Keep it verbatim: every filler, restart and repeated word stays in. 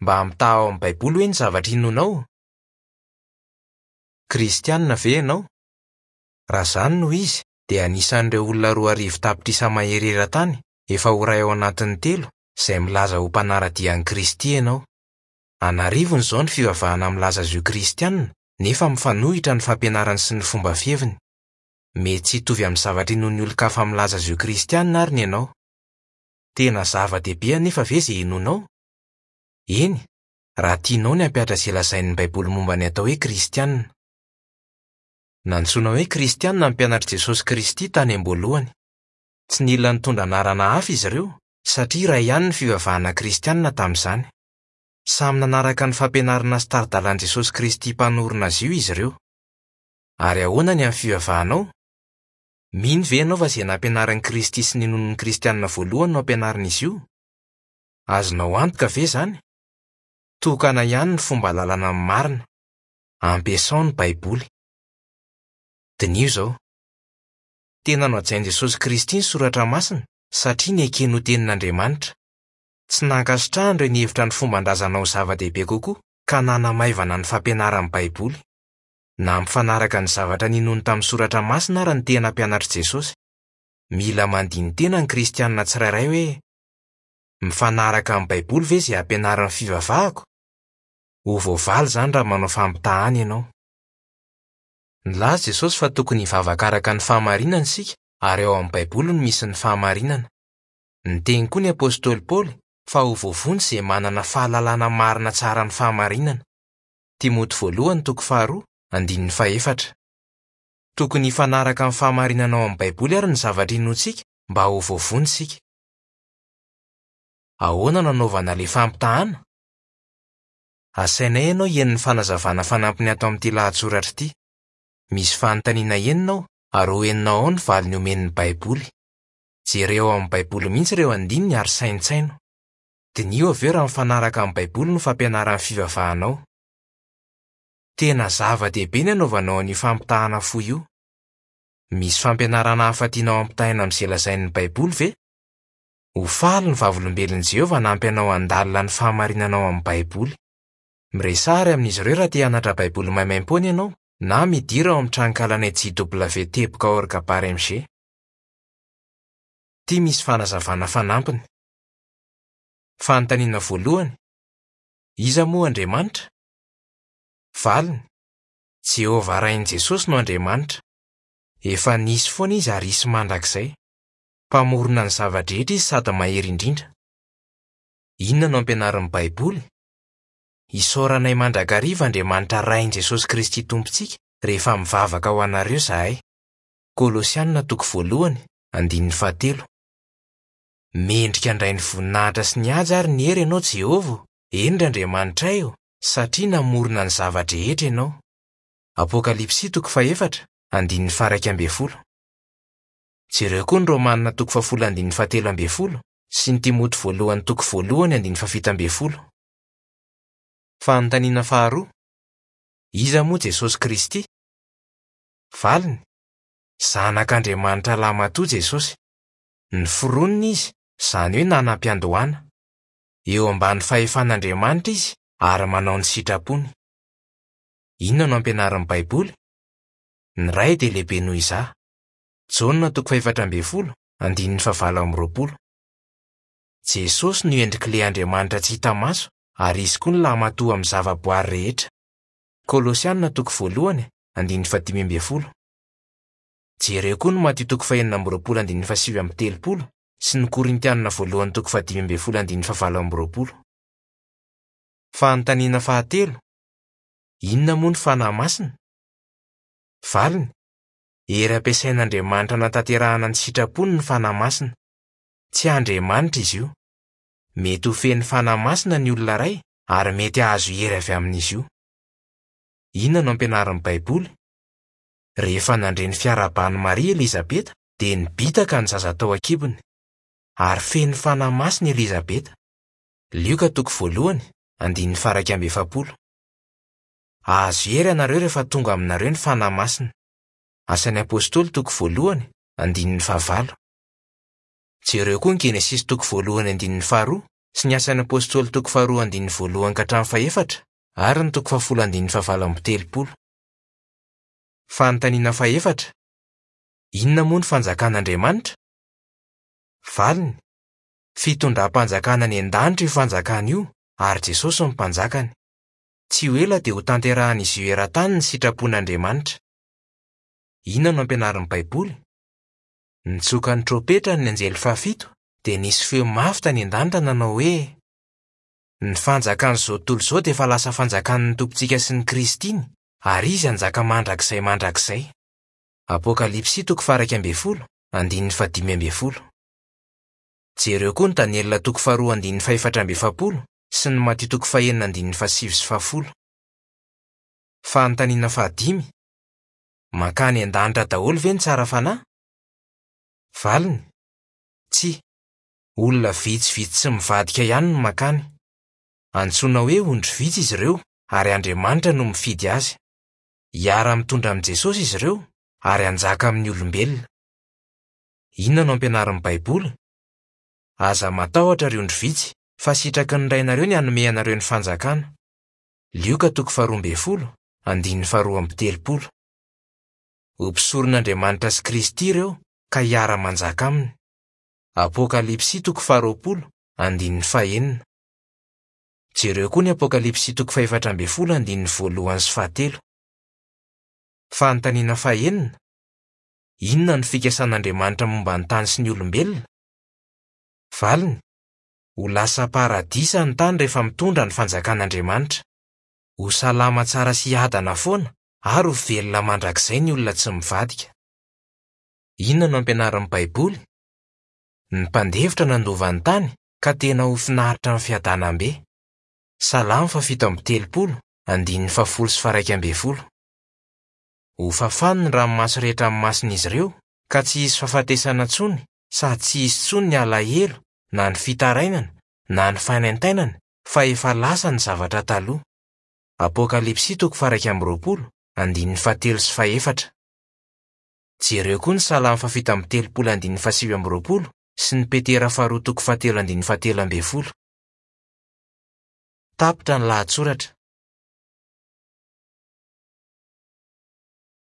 Mba ampitahao amin'ny Baiboly hoe ny zavatra inoanao? Kristianina ve ianao? Raha izany no izy, dia anisan'ireo olona roa arivo tapitrisa mahery eran-tany efa ho iray ao anatin'ny telo izay milaza ho mpanara-dia an'i Kristy ianao. An'arivony izao ny fivavahana milaza azy ho kristianina nefa mifanohitra ny fampianarany sy ny fomba fiheviny. Mety tsy hitovy amin'ny zavatra inoan'ny olon-kafa milaza azy ho kristianina ary ny ianao. Tena zava-dehibe anefa ve izay inoanao? Eny, raha tianao ny hampihatra izay lazain'ny Baiboly momba ny atao hoe kristianina. Nantsoina hoe kristianina ny mpianatr'i Jesosy Kristy tany am-boalohany. Tsy nila nitondra anarana hafa izy ireo satria iray ihany ny fivavahana kristianina tamin'izany. Samy nanaraka ny fampianarana sy tari-dalan'i Jesosy Kristy mpanorina azy io izy ireo. Ary ahoana ny amin'ny fivavahanao? Mino ve ianao fa izay nampianarin'i Kristy sy ninoan'ny kristianina voalohany no ampianarin'izy io? Azonao antoka ve izany? Tokana ihany ny fomba ahalalana ny marina. Ampiasao ny Baiboly. Diniho izao. Tena nohajain'i Jesosy Kristy ny Soratra Masina satria nekeny ho tenin'Andriamanitra. Tsy nankasitrahany ireo nihevitra ny fomban-drazana ho zava-dehibe kokoa ka nanamaivana ny fampianaran'ny Baiboly. Nampifanaraka ny zavatra ninoany tamin'ny Soratra Masina ary ny tena mpianatr'i Jesosy. Mila mandini-tena ny kristianina tsirairay hoe: mifanaraka amin'ny Baiboly ve izay ampianarin'ny fivavahako? Ho voavaly izany raha manao fampitahana ianao. Nilaza Jesosy fa tokony hivavaka araka ny fahamarinana isika ary ao amin'ny Baiboly no misy ny fahamarinana. Niteny koa ny apostoly Paoly fa ho voavonjy izay manana fahalalana marina tsara ny fahamarinana. Timoty voalohany toko faharoa, andininy fahefatra. Tokony hifanaraka amin'ny fahamarinana ao amin'ny Baiboly ary ny zavatra inoantsika mba ho voavonjy isika. Ahoana no anaovana ilay fampitahana? Asainay ianao hihaino ny fanazavana fanampiny ato amin'ity lahatsoratra ity. Misy fanontaniana enina ao ary ho henonao ao ny valiny omen'ny Baiboly. Jereo ao amin'ny Baiboly mihitsy ireo andininy ary saintsaino. Diniho avy eo raha mifanaraka amin'ny Baiboly no fampianaran'ny fivavahanao. Tena zava-dehibe ny anaovanao an'io fampitahana fohy io. Misy fampianarana hafa tianao ampitahaina amin'izay lazain'ny Baiboly ve? Ho faly ny Vavolombelon'i Jehovah hanampy anao handalina ny fahamarinana ao amin'ny Baiboly. Miresaha ary amin'izy ireo raha te hianatra Baiboly maimaimpoana ianao na midira ao amin'ny tranonkalanay J W teboka org bar M G. Ity misy fanazavana fanampiny. Fanontaniana voalohany: Iza moa Andriamanitra? Valiny: Jehovah Rain'i Jesosy no Andriamanitra. Efa nisy foana izy ary hisy mandrakizay. Mpamorona ny zava-drehetra izy sady mahery indrindra. Inona no ampianarin'ny Baiboly? Isaoranay mandrakariva Andriamanitra Rain'i Jesosy Kristy Tompontsika rehefa mivavaka ho anareo izahay. Kolosianina toko voalohany, andininy fahatelo. Mendrika handray ny voninahitra sy ny haja ary ny hery ianao Jehovah, eny ry Andriamanitray ô, satria namorona ny zava-drehetra ianao. Apokalypsy toko fahefatra, andininy faha-iraika ambin'ny folo. Jereo koa ny Romanina toko fahafolo andininy fahatelo ambin'ny folo sy ny Timoty voalohany toko voalohany andininy fahafito ambin'ny folo. Fanontaniana faharoa: Iza moa Jesosy Kristy? Valiny: Zanak'Andriamanitra lahimatoa Jesosy. Noforonina izy, izany hoe nanam-piandohana. Eo ambany fahefan'Andriamanitra izy ary manao ny sitrapony. Inona no ampianarin'ny Baiboly? Ny Ray dia lehibe noho izaho. Jaona toko fahefatra ambin'ny folo, andininy fahavalo amby roapolo. Jesosy no endrik'ilay Andriamanitra tsy hita maso ary izy koa ny lahimatoa amin'ny zavaboary rehetra. Kolosianina toko voalohany, andininy fahadimy ambin'ny folo. Jereo koa ny Matio toko fahenina amby roapolo andininy fahasivy amby telopolo sy ny Korintianina voalohany toko fahadimy ambin'ny folo andininy fahavalo amby roapolo. Fanontaniana fahatelo: Inona moa ny Fanahy Masina? Valiny: Hery ampiasain'Andriamanitra hanatanterahana ny sitrapony ny Fanahy Masina. Tsy Andriamanitra izy io. Mety ho feno Fanahy Masina ny olona iray ary mety hahazo hery avy amin'izy io. Inona no ampianarin'ny Baiboly? Rehefa nandre ny fiarahaban'i Maria Elizabeta dia nibitaka ny zaza tao an-kibony. Ary feno Fanahy Masina Elizabeta. Lioka toko voalohany, andininy faha-iraika amby efapolo. Hahazo hery ianareo rehefa tonga aminareo ny Fanahy Masina. Asan'ny Apostoly toko voalohany, andininy fahavalo. Jereo koa ny Genesisy toko voalohany andininy faharoa sy ny Asan'ny Apôstôly toko faharoa andininy voalohany ka hatramin'ny fahefatra ary ny toko fahafolo andininy fahavalo amby telopolo. Fanontaniana fahefatra: Inona moa ny fanjakan'Andriamanitra? Valiny: Fitondram-panjakana any an-danitra io fanjakana io ary Jesosy no mpanjakany. Tsy ho ela dia ho tanterahan'izy io eran-tany ny sitrapon'Andriamanitra. Inona no ampianarin'ny Baiboly? Nitsoka ny trompetra ny anjely fahafito dia nisy feo mafy tany an-danitra nanao hoe: Ny fanjakan'izao tontolo izao dia efa lasa fanjakan'ny Tompontsika sy ny Kristiny ary izy hanjaka mandrakizay mandrakizay. Apokalypsy toko faha-iraika ambin'ny folo, andininy fahadimy ambin'ny folo. Jereo koa ny Daniela toko faharoa andininy fahefatra amby efapolo sy ny Matio toko fahenina andininy fahasivy sy fahafolo. Fanontaniana fahadimy: Mankany an-danitra daholo ve ny tsara fanahy? Valiny: Tsia. Olona vitsivitsy tsy mivadika ihany no mankany. Antsoina hoe ondry vitsy izy ireo ary Andriamanitra no mifidy azy. Hiara-mitondra amin'i Jesosy izy ireo ary hanjaka amin'ny olombelona. Inona no ampianarin'ny Baiboly? Aza matahotra ry ondry vitsy fa sitraky ny Rainareo ny hanome anareo ny fanjakana. Lioka toko faharoa ambin'ny folo, andininy faharoa amby telopolo. Ho mpisoron'Andriamanitra sy Kristy ireo ka hiara-manjaka aminy. Apokalypsy toko faharoapolo, andininy fahenina. Jereo koa ny Apokalypsy toko fahefatra ambin'ny folo andininy voalohany sy fahatelo. Fanontaniana fahenina: Inona no fikasan'Andriamanitra momba ny tany sy ny olombelona? Valiny: Ho lasa paradisa ny tany rehefa mitondra ny fanjakan'Andriamanitra. Ho salama tsara sy hiadana foana ary ho velona mandrakizay ny olona tsy mivadika. Inona no ampianarin'ny Baiboly? Ny mpandefitra nandova ny tany ka tena ho finaritra amin'ny fiadanam-be. Salamo fahafito amby telopolo, andininy fahafolo sy faharaika ambin'ny folo. Ho fafany ny ranomaso rehetra amin'ny mason'izy ireo ka tsy hisy fahafatesana intsony sady tsy hisy intsony ny alahelo na ny fitarainana na ny fanaintainana fa efa lasa ny zavatra taloha. Apokalypsy toko faha-iraika amby roapolo, andininy fahatelo sy fahefatra. Jereo koa ny Salamo fahafito amby telopolo andininy fahasivy amby roapolo sy ny Petera faharoa toko fahatelo andininy fahatelo ambin'ny folo. Tapitra ny lahatsoratra.